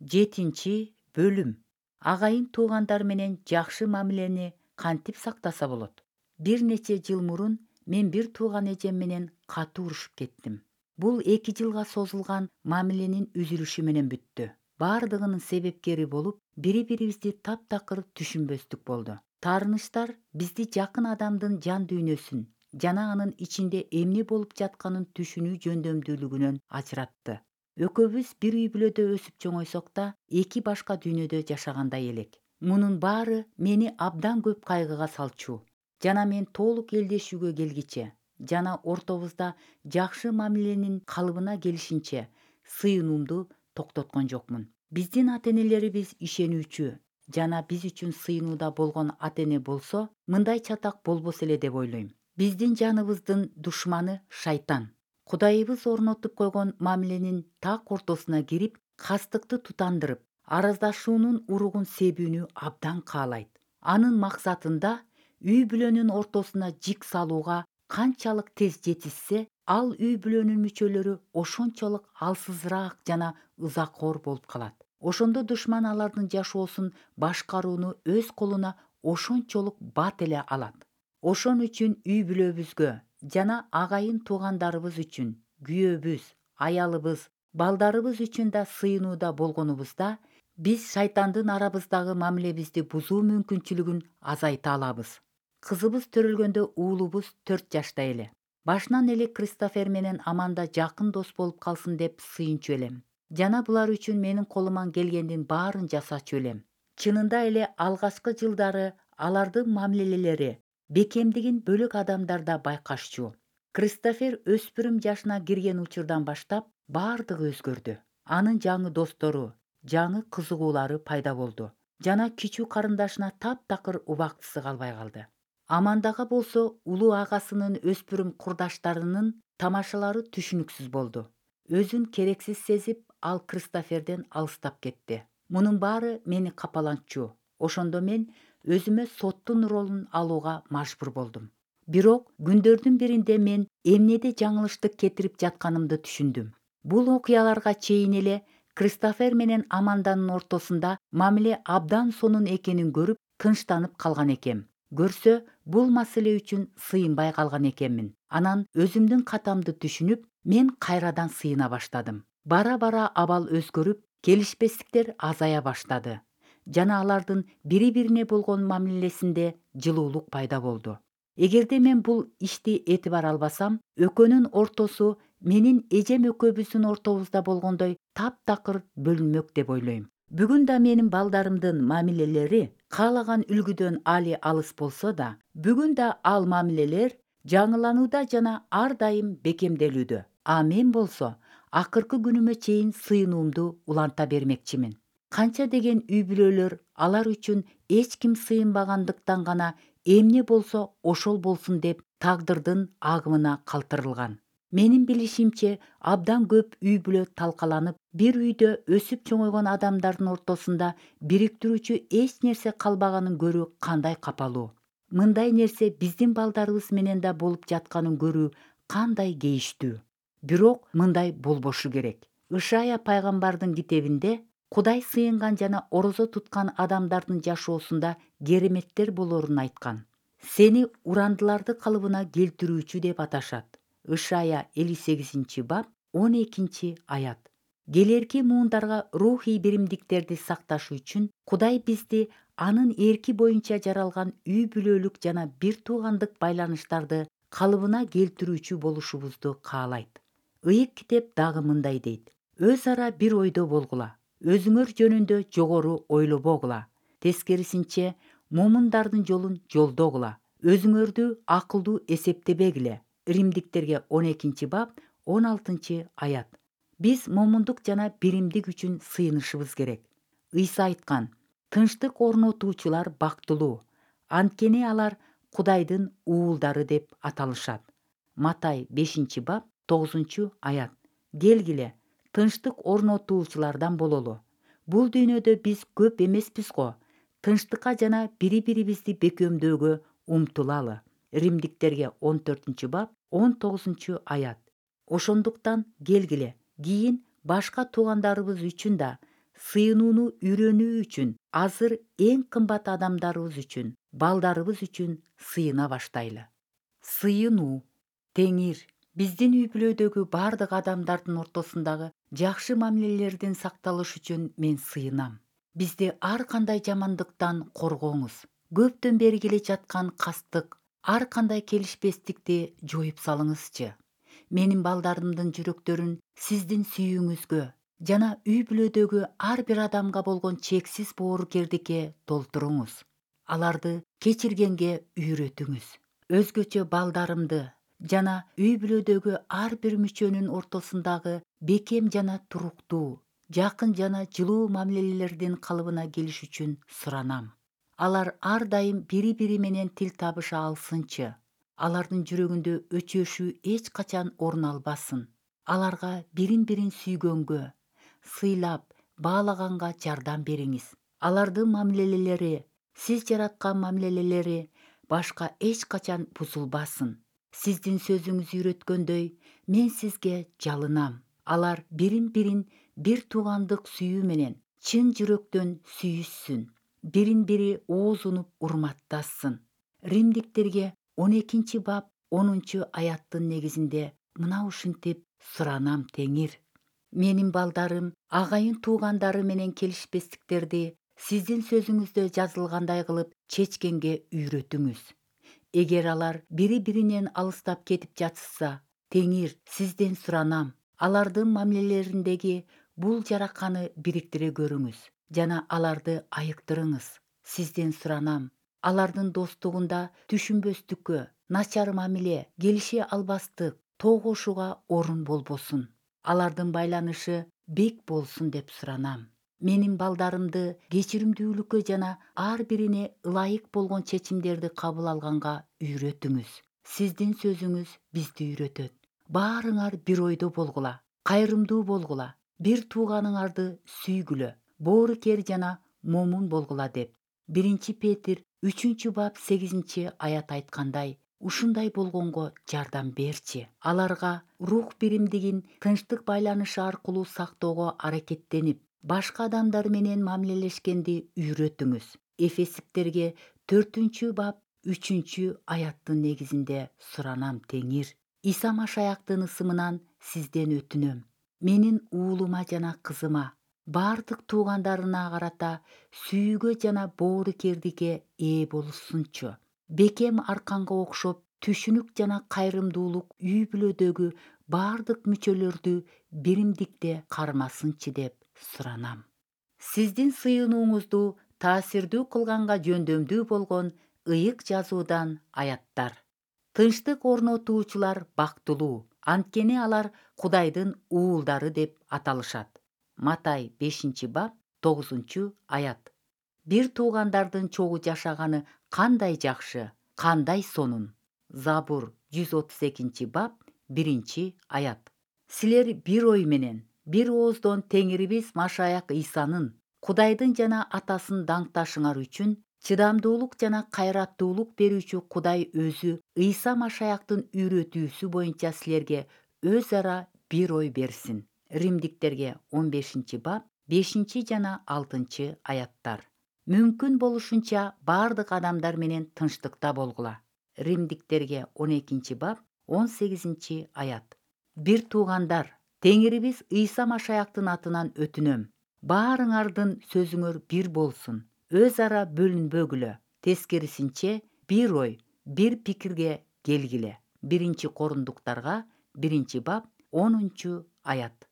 7 бөлүм. Агайын туугандар менен жакшы мамилени кантип сактаса болот? Бир нече жыл мурун мен бир тууган эжем менен катуу урушуп кеттим. Бул 2 жылга созулган мамиленин үзүлүшү менен бүттү. Бардыгынын себепкери болуп, бири-бирибизди таптакыр түшүнбөстүк болду. Таарынычтар бизди жакын адамдын жан дүйнөсүн жана анын ичинде эмне болуп жатканын түшүнүү жөндөмдүүлүгүнөн ажыратты. Экөөбүз бир үй бүлөдө өсүп чоңойсок да, эки башка дүйнөдө жашагандай элек. Мунун баары мени абдан көп кайгыга салчу. Жана мен толук элдешүүгө келгиче жана ортобузда жакшы мамиленин калыбына келишинче сыйынуумду токтоткон жокмун. Биздин ата-энелерибиз ишенүүчү жана биз үчүн сыйынууда болгон ата-эне болсо, мындай чатак болбос эле деп ойлойм. Биздин жаныбыздын душманы шайтан. Кудайыбыз орнотуп койгон мамиленин так ортосуна кирип, кастыкты тутандырып, араздашуунун уругун себүүнү абдан каалайт. Анын максатында үй бүлөнүн ортосуна жик салууга канчалык тез жетишсе, ал үй бүлөнүн мүчөлөрү ошончолук алсызыраак жана ызакор болуп калат. Ошондо душман алардын жашоосун башкарууну өз колуна ошончолук бат эле алат. Ошон үчүн үй бүлөбүзгө жана агайын туугандарыбыз үчүн, күйөөбүз, аялыбыз, балдарыбыз үчүн да сыйынууда болгонубузда, биз шайтандын арабыздагы мамилебизди бузуу мүмкүнчүлүгүн азайта алабыз. Кызыбыз төрөлгөндө уулубуз 4 жашта эле. Башынан эле Кристофер менен Аманда жакын дос болуп калсын деп сыйынчу элем. Жана булар үчүн менин колуман келгендин баарын жасачу элем. Чынында эле алгачкы жылдары алардын мамилелери бекемдигин бөлөк адамдарда байкашчу. Кристофер өспүрүм жашына кирген учурдан баштап бардыгы өзгөрдү. Анын жаңы достору, жаңы кызыгуулары пайда болду. Жана кичүү карындашына таптакыр убактысы калбай калды. Амандага болсо улуу агасынын өспүрүм курдаштарынын тамашалары түшүнүксүз болду. Өзүн керексиз сезип, ал Кристоферден алыстап кетти. Мунун баары мени капалантчу. Ошондо мен өзүмө соттун ролун алууга мажбур болдум. Бирок күндөрдүн биринде мен эмнеде жаңылыштык кетирип жатканымды түшүндүм. Бул окуяларга чейин эле Кристофер менен Аманданын ортосунда мамиле абдан сонун экенин көрүп, тынчтанып калган экем. Көрсө, бул маселе үчүн сыйынбай калган экенмин. Анан өзүмдүн катамды түшүнүп, мен кайрадан сыйына баштадым. Бара-бара абал өзгөрүп, келишпестиктер азая баштады. Жана алардын бири-бирине болгон мамилесинде жылуулук пайда болду. Эгерде мен бул ишти этибар албасам, экөөнүн ортосу менин эжем экөөбүздүн ортобузда болгондой таптакыр бөлүнмөк деп ойлойм. Бүгүн да менин балдарымдын мамилелери каалаган үлгүдөн али алыс болсо да, бүгүн да ал мамилелер жаңыланууда жана ар дайым бекемделүүдө. А мен болсо акыркы күнүмө чейин сыйынуумду уланта бермекчимин. Канча деген үй бүлөлөр алар үчүн эч ким сыйынбагандыктан гана эмне болсо ошол болсун деп тагдырдын агымына калтырылган. Менин билишимче, абдан көп үй бүлө талкаланып, бир үйдө өсүп чоңойгон адамдардын ортосунда бириктирүүчү эч нерсе калбаганын көрүү кандай капалуу. Мындай нерсе биздин балдарыбыз менен да болуп жатканын көрүү кандай кейиштүү. Бирок мындай болбошу керек. Ышая пайгамбардын китебинде Кудай сыйынган жана орозо туткан адамдардын жашоосунда кереметтер болорун айткан. Сени урандыларды калыбына келтирүүчү деп аташат. Ышая 58-бап 12-аят. Келерки муундарга рухий биримдиктерди сакташ үчүн Кудай бизди анын эрки боюнча жаралган үй бүлөлүк жана бир туугандык байланыштарды калыбына келтирүүчү болушубузду каалайт. Ыйык китеп дагы мындай дейт: өз ара бир ойдо болгула, өзүңөр жөнүндө жогору ойлобогула. Тескерисинче, момундардын жолун жолдогула, өзүңөрдү акылдуу эсептебегиле. Римдиктерге 12-бап 16-аят. Биз момундук жана биримдик үчүн сыйынышыбыз керек. Ыйса айткан: тынчтык орнотуучулар бактылуу, анткени алар Кудайдын уулдары деп аталышат. Матай 5-бап 9-аят. Келгиле, тынчтык орнотуучулардан бололу. Бул дүйнөдө биз көп эмеспиз го. Тынчтыкка жана бири-бирибизди бекемдөөгө умтулалы. Римдиктерге 14-бап 19-аят. Ошондуктан келгиле, кийин башка туугандарыбыз үчүн да сыйынууну үйрөнүү үчүн азыр эң кымбат адамдарыбыз үчүн, балдарыбыз үчүн сыйына баштайлы. Сыйынуу. Теңир биздин үй бүлөдөгү бардык адамдардын ортосундагы жакшы мамилелердин сакталышы үчүн мен сыйынам. Бизди ар кандай жамандыктан коргоңуз. Көптөн бери келе жаткан кастык, ар кандай келишпестикти жоюп салыңызчы. Менин балдарымдын жүрөктөрүн сиздин сүйүүңүзгө жана үй бүлөдөгү ар бир адамга болгон чексиз боорукердикке толтуруңуз. Аларды кечиргенге үйрөтүңүз. Өзгөчө балдарымды жана үй бүлөдөгү ар бир мүчөнүн ортосундагы бекем жана туруктуу, жакын жана жылуу мамилелердин калыбына келиш үчүн суранам. Алар ар дайым бири-бири менен тил табыша алсынчы. Алардын жүрөгүндө өчөшүү эч качан орун албасын. Аларга бирин-бирин сүйгөнгө, сыйлап, баалаганга жардам бериңиз. Алардын мамилелери, сиз жараткан мамилелери башка эч качан бузулбасын. Сиздин сөзүңүз үйрөткөндөй, мен сизге жалынам. Алар бирин-бирин бир туугандык сүйүү менен чын жүрөктөн сүйүшсүн. Бирин-бири оозунуп урматташсын. Римдиктерге 12-бап 10-аяттын негизинде мына ушинтип суранам теңир. Менин балдарым агайын туугандары менен келишпестиктерди сиздин сөзүңүздө жазылгандай кылып чечкенге үйрөтүңүз. Эгер алар бири-биринен алыстап кетип жатышса, теңир сизден суранам. Алардын мамилелериндеги бул жараканы бириктире көрүңүз жана аларды айыктырыңыз. Сизден суранам. Алардын достугунда түшүнбөстүккө, начар мамиле, келише албастык, тогушууга орун болбосун. Алардын байланышы бек болсун деп суранам. Менин балдарымды кечиримдүүлүккө жана ар бирине ылайык болгон чечимдерди кабыл алганга үйрөтүңүз. Сиздин сөзүңүз бизди үйрөтөт. Баарыңар бир ойдо болгула, кайрымдуу болгула, бир тууганыңарды сүйгүлө, боорукер жана момун болгула деп 1 Петир 3-бап 8-аят айткандай, ушундай болгонго жардам берчи. Аларга рух биримдигин тынчтык байланышы аркылуу сактоого аракеттенип, башка адамдар менен мамилелешкенди үйрөтүңүз. Эфесиктерге 4-бап 3-аяттын негизинде суранам теңир. Иса Машаяктын ысымынан сизден өтүнөм. Менин уулума жана кызыма, бардык туугандарына карата сүйүүгө жана боорукердикке ээ болушсунчу. Бекем арканга окшоп түшүнүк жана кайрымдуулук үй бүлөдөгү бардык мүчөлөрдү биримдикте кармасынчы деп суранам. Сиздин сыйынууңузду таасирдүү кылганга жөндөмдүү болгон ыйык жазуудан аяттар. Тынчтык орнотуучулар бактылуу, анткени алар Кудайдын уулдары деп аталышат. Матай 5-бап 9-аят. Бир туугандардын чогуу жашаганы кандай жакшы, кандай сонун. Забур 132-бап 1-аят. Силер бир ой менен, бир ооздон Теңирибиз Машаяк Исанын, Кудайдын жана Атасын даңкташыңар үчүн чыдамдуулук жана кайраттуулук берүүчү Кудай өзү Ыйса Машаяктын үйрөтүүсү боюнча силерге өз ара бир ой берсин. Римдиктерге 15-бап 5 жана 6-аяттар. Мүмкүн болушунча бардык адамдар менен тынчтыкта болгула. Римдиктерге 12-бап 18-аят. Бир туугандар, Теңирибиз Ыйса Машаяктын атынан өтүнөм. Баарыңардын сөзүңөр бир болсун. Өз ара бөлүнбөгүлө. Тескерисинче, бир ой, бир пикирге келгиле. 1 Корундуктарга 1-бап 10-аят.